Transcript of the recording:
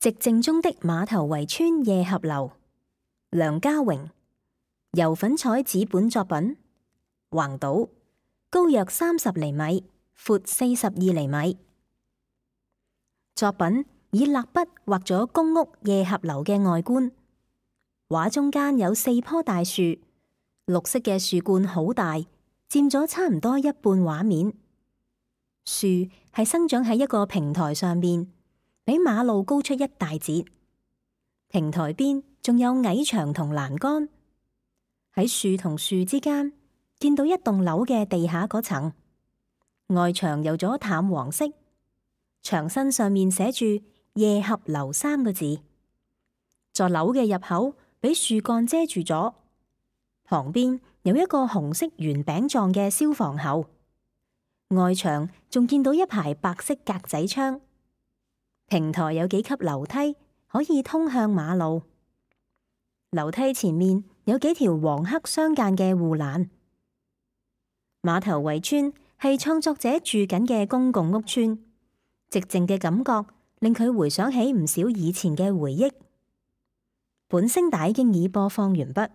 寂靜中的馬頭圍村夜合樓，梁家榮，油粉彩紙本作品，橫島，高約30厘米，闊42厘米。作品以蠟筆畫咗公屋夜合樓嘅外觀，畫中間有4棵大樹，綠色嘅樹冠好大，佔咗差唔多一半畫面。樹係生長喺一個平台上面，比馬路高出一大截。平台邊仲有矮牆同欄杆。喺樹同樹之間，見到一棟樓嘅地下嗰層，外牆油咗淡黃色，牆身上面寫住夜合樓3個字。座樓嘅入口俾樹幹遮住咗，旁邊有一個紅色圓餅狀嘅消防喉。外牆仲見到一排白色格仔窗，平台有幾級樓梯可以通向馬路。樓梯前面有幾條黃黑相間嘅護欄。馬頭圍村係創作者住緊嘅公共屋邨，寂靜嘅感覺令佢回想起唔少以前嘅回憶。本聲帶經已播放完畢。